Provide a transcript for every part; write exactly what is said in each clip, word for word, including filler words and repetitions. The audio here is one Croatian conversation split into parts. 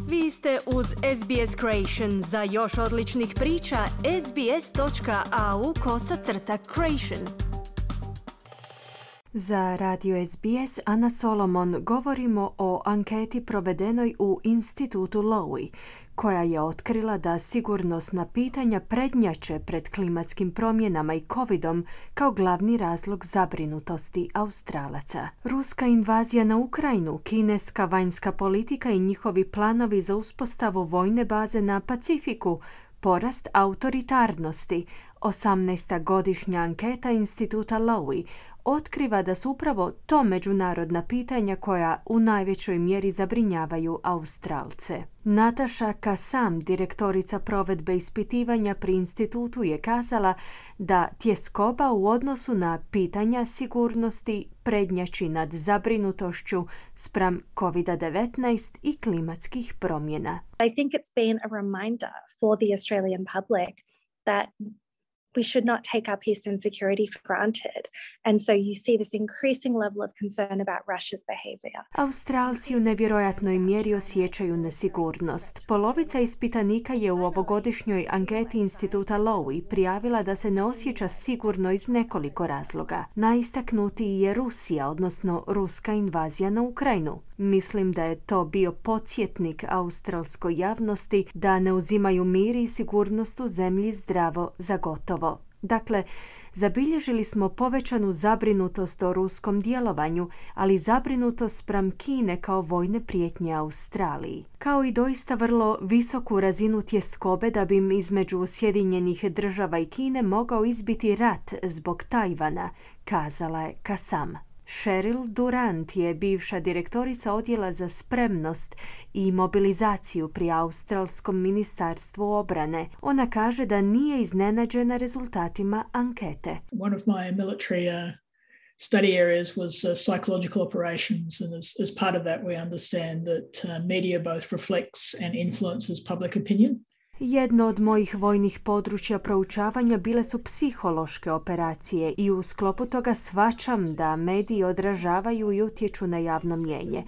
Vi ste uz S B S Creation. Za još odličnih priča, sbs.au kosacrta creation. Za Radio S B S Ana Solomon govorimo o anketi provedenoj u institutu Lowy, koja je otkrila da sigurnosna pitanja prednjače pred klimatskim promjenama i covidom kao glavni razlog zabrinutosti Australaca. Ruska invazija na Ukrajinu, kineska vanjska politika i njihovi planovi za uspostavu vojne baze na Pacifiku, porast autoritarnosti. osamnaesta godišnja anketa instituta Lowy otkriva da su upravo to međunarodna pitanja koja u najvećoj mjeri zabrinjavaju Australce. Nataša Kassam, direktorica provedbe ispitivanja pri institutu, je kazala da tjeskoba u odnosu na pitanja sigurnosti prednjači nad zabrinutošću spram covid devetnaest i klimatskih promjena. I think it's been a reminder for the Australian public that we should not take our peace and security for granted. And so you see this increasing level of concern about Russia's behavior. Australci u nevjerojatnoj mjeri osjećaju nesigurnost. Polovica ispitanika je u ovogodišnjoj anketi instituta Lowy prijavila da se ne osjeća sigurno iz nekoliko razloga. Najistaknutiji je Rusija, odnosno ruska invazija na Ukrajinu. Mislim da je to bio podsjetnik australskoj javnosti da ne uzimaju mir i sigurnost u zemlji zdravo za gotovo. Dakle, zabilježili smo povećanu zabrinutost o ruskom djelovanju, ali zabrinutost spram Kine kao vojne prijetnje Australiji. Kao i doista vrlo visoku razinu tjeskobe da bi im između Sjedinjenih država i Kine mogao izbiti rat zbog Tajvana, kazala je Kassam. Cheryl Durant je bivša direktorica odjela za spremnost i mobilizaciju pri Australskom ministarstvu obrane. Ona kaže da nije iznenađena rezultatima ankete. One of my military uh, study areas was uh, psychological operations, and as, as part of that we understand that uh, media both reflects and influences public opinion. Jedno od mojih vojnih područja proučavanja bile su psihološke operacije i u sklopu toga shvaćam da mediji odražavaju i utječu na javno mnijenje.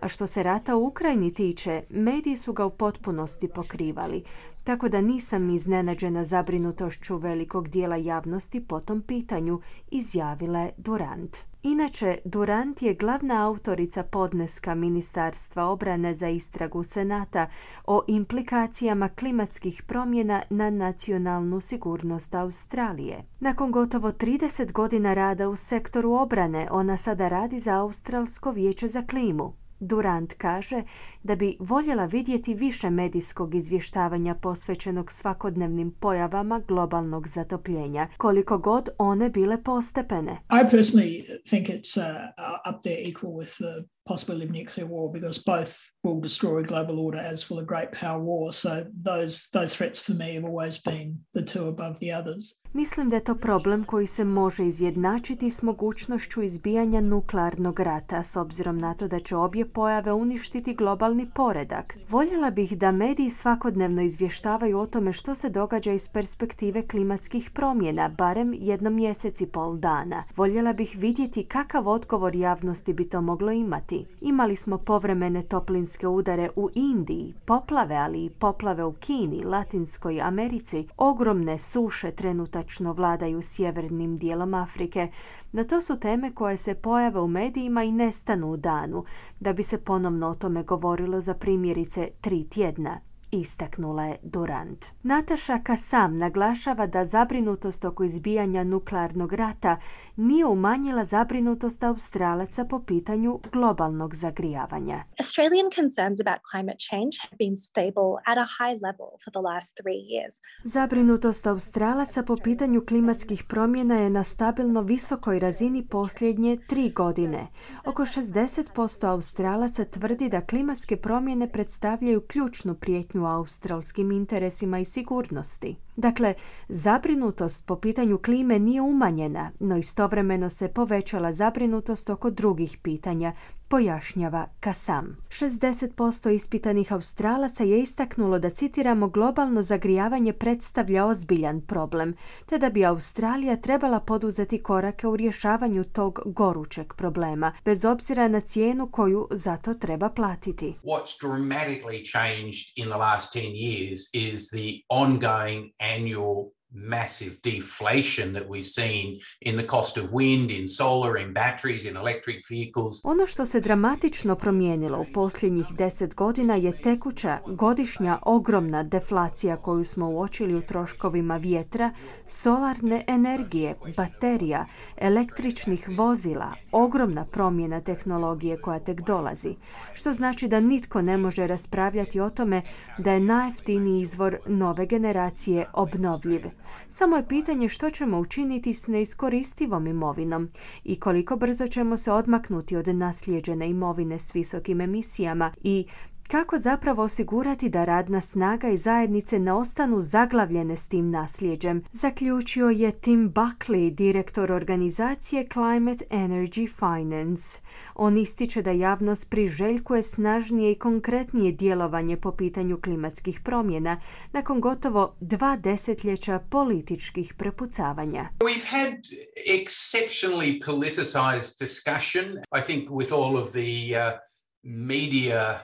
A što se rata u Ukrajini tiče, mediji su ga u potpunosti pokrivali, tako da nisam iznenađena zabrinutošću velikog dijela javnosti po tom pitanju, izjavila je Durant. Inače, Durant je glavna autorica podneska Ministarstva obrane za istragu Senata o implikacijama klimatskih promjena na nacionalnu sigurnost Australije. Nakon gotovo trideset godina rada u sektoru obrane, ona sada radi za Australsko vijeće za klimu. Durant kaže da bi voljela vidjeti više medijskog izvještavanja posvećenog svakodnevnim pojavama globalnog zatopljenja, koliko god one bile postepene. I personally think it's uh, up there equal with the possibility of nuclear war, because both will destroy global order, as will a great power war. So those those threats for me have always been the two above the others. Mislim da je to problem koji se može izjednačiti s mogućnošću izbijanja nuklearnog rata, s obzirom na to da će obje pojave uništiti globalni poredak. Voljela bih da mediji svakodnevno izvještavaju o tome što se događa iz perspektive klimatskih promjena, barem jednom mjesec i pol dana. Voljela bih vidjeti kakav odgovor javnosti bi to moglo imati. Imali smo povremene toplinske udare u Indiji, poplave, ali i poplave u Kini, Latinskoj Americi, ogromne suše trenutačno vladaju sjevernim dijelom Afrike. No to su teme koje se pojave u medijima i nestanu u danu, da bi se ponovno o tome govorilo za primjerice tri tjedna, istaknula je Durant. Nataša Kassam naglašava da zabrinutost oko izbijanja nuklearnog rata nije umanjila zabrinutost Australaca po pitanju globalnog zagrijavanja. Australian concerns about climate change have been stable at a high level for the last three years. Zabrinutost Australaca po pitanju klimatskih promjena je na stabilno visokoj razini posljednje tri godine. Oko šezdeset posto Australaca tvrdi da klimatske promjene predstavljaju ključnu prijetnju australskim interesima i sigurnosti. Dakle, zabrinutost po pitanju klime nije umanjena, no istovremeno se povećala zabrinutost oko drugih pitanja, pojašnjava Kassam. šezdeset posto ispitanih Australaca je istaknulo da, citiramo, globalno zagrijavanje predstavlja ozbiljan problem, te da bi Australija trebala poduzeti korake u rješavanju tog gorućeg problema, bez obzira na cijenu koju za to treba platiti. What's dramatically changed in the last ten years is the ongoing annual massive deflation that we've seen in the cost of wind, in solar, in batteries, in electric vehicles. Ono što se dramatično promijenilo u posljednjih deset godina je tekuća godišnja ogromna deflacija koju smo uočili u troškovima vjetra, solarne energije, baterija, električnih vozila, ogromna promjena tehnologije koja tek dolazi, što znači da nitko ne može raspravljati o tome da je najjeftiniji izvor nove generacije obnovljiv. Samo je pitanje što ćemo učiniti s neiskoristivom imovinom i koliko brzo ćemo se odmaknuti od naslijeđene imovine s visokim emisijama i kako zapravo osigurati da radna snaga i zajednice ne ostanu zaglavljene s tim nasljeđem, zaključio je Tim Buckley, direktor organizacije Climate Energy Finance. On ističe da javnost priželjkuje snažnije i konkretnije djelovanje po pitanju klimatskih promjena nakon gotovo dva desetljeća političkih prepucavanja. We've had exceptionally politicized discussion, I think, with all of the uh, media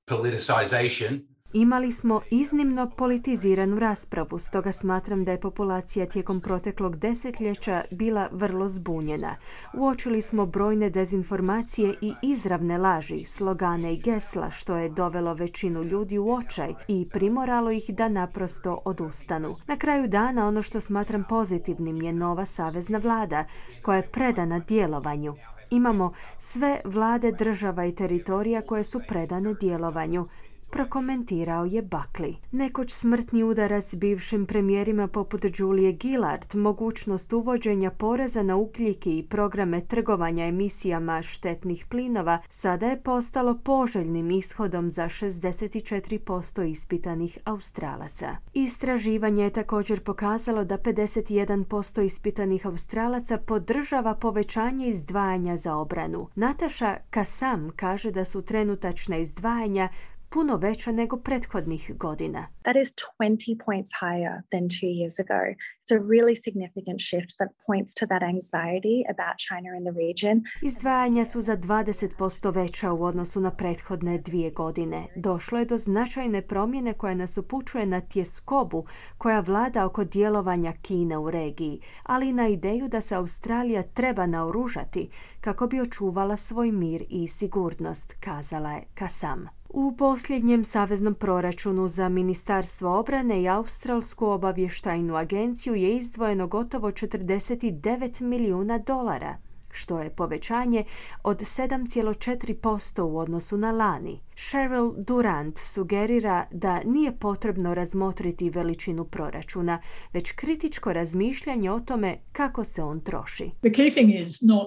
politicization. Imali smo iznimno politiziranu raspravu, stoga smatram da je populacija tijekom proteklog desetljeća bila vrlo zbunjena. Uočili smo brojne dezinformacije i izravne laži, slogane i gesla, što je dovelo većinu ljudi u očaj i primoralo ih da naprosto odustanu. Na kraju dana ono što smatram pozitivnim je nova savezna vlada koja je predana djelovanju. Imamo sve vlade država i teritorija koje su predane djelovanju, prokomentirao je Buckley. Nekoć smrtni udarac s bivšim premijerima poput Julie Gillard, mogućnost uvođenja poreza na ugljik i programe trgovanja emisijama štetnih plinova sada je postalo poželjnim ishodom za šezdeset četiri posto ispitanih Australaca. Istraživanje je također pokazalo da pedeset jedan posto ispitanih Australaca podržava povećanje izdvajanja za obranu. Natasha Kassam kaže da su trenutačna izdvajanja puno veća nego prethodnih godina. That is twenty points higher than two years ago. It's a really significant shift that points to that anxiety about China in the region. Izdvajanja su za dvadeset posto veća u odnosu na prethodne dvije godine. Došlo je do značajne promjene koja nas upućuje na tjeskobu koja vlada oko djelovanja Kine u regiji, ali i na ideju da se Australija treba naoružati kako bi očuvala svoj mir i sigurnost, kazala je Kassam. U posljednjem saveznom proračunu za Ministarstvo obrane i Australsku obavještajnu agenciju je izdvojeno gotovo četrdeset devet milijuna dolara, što je povećanje od sedam zarez četiri posto u odnosu na lani. Cheryl Durant sugerira da nije potrebno razmotriti veličinu proračuna, već kritičko razmišljanje o tome kako se on troši. The key thing is not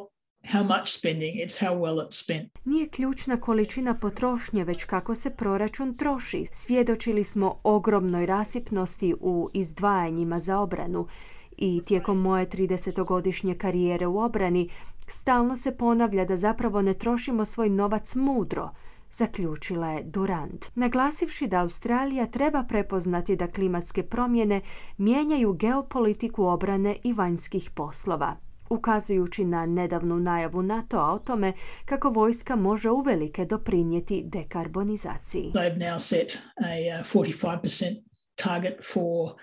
how much spending, it's how well it's spent. Nije ključna količina potrošnje, već kako se proračun troši. Svjedočili smo ogromnoj rasipnosti u izdvajanjima za obranu i tijekom moje tridesetogodišnje karijere u obrani stalno se ponavlja da zapravo ne trošimo svoj novac mudro, zaključila je Durant, naglasivši da Australija treba prepoznati da klimatske promjene mijenjaju geopolitiku obrane i vanjskih poslova, ukazujući na nedavnu najavu NATO-a o tome kako vojska može uvelike doprinijeti dekarbonizaciji. They've now set a forty-five percent target for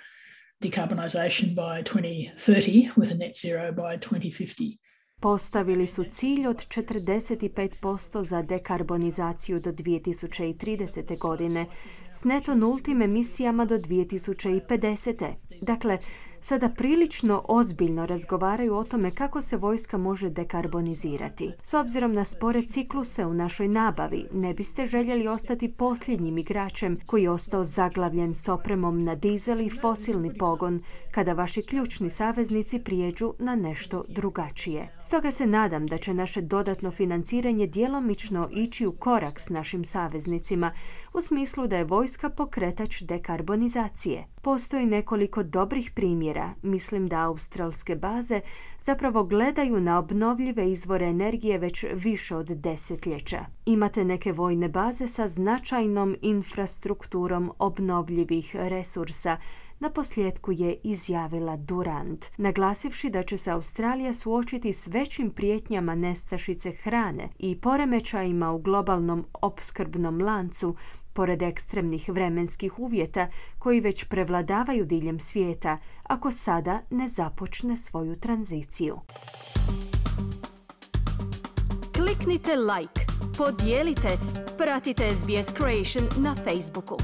decarbonization by twenty thirty with a net zero by twenty fifty. Postavili su cilj od četrdeset pet posto za dekarbonizaciju do dvije tisuće tridesete. godine s neto nultim emisijama do dvije tisuće pedesete. Dakle, sada prilično ozbiljno razgovaraju o tome kako se vojska može dekarbonizirati. S obzirom na spore cikluse u našoj nabavi, ne biste željeli ostati posljednjim igračem koji je ostao zaglavljen s opremom na dizel i fosilni pogon kada vaši ključni saveznici prijeđu na nešto drugačije. Stoga se nadam da će naše dodatno financiranje djelomično ići u korak s našim saveznicima u smislu da je vojska pokretač dekarbonizacije. Postoji nekoliko dobrih primjera. Mislim da australske baze zapravo gledaju na obnovljive izvore energije već više od desetljeća. Imate neke vojne baze sa značajnom infrastrukturom obnovljivih resursa, na posljedku je izjavila Durant, naglasivši da će se Australija suočiti s većim prijetnjama nestašice hrane i poremećajima u globalnom opskrbnom lancu, pored ekstremnih vremenskih uvjeta koji već prevladavaju diljem svijeta, ako sada ne započne svoju tranziciju. Kliknite like, podijelite, pratite S B S Creation na Facebooku.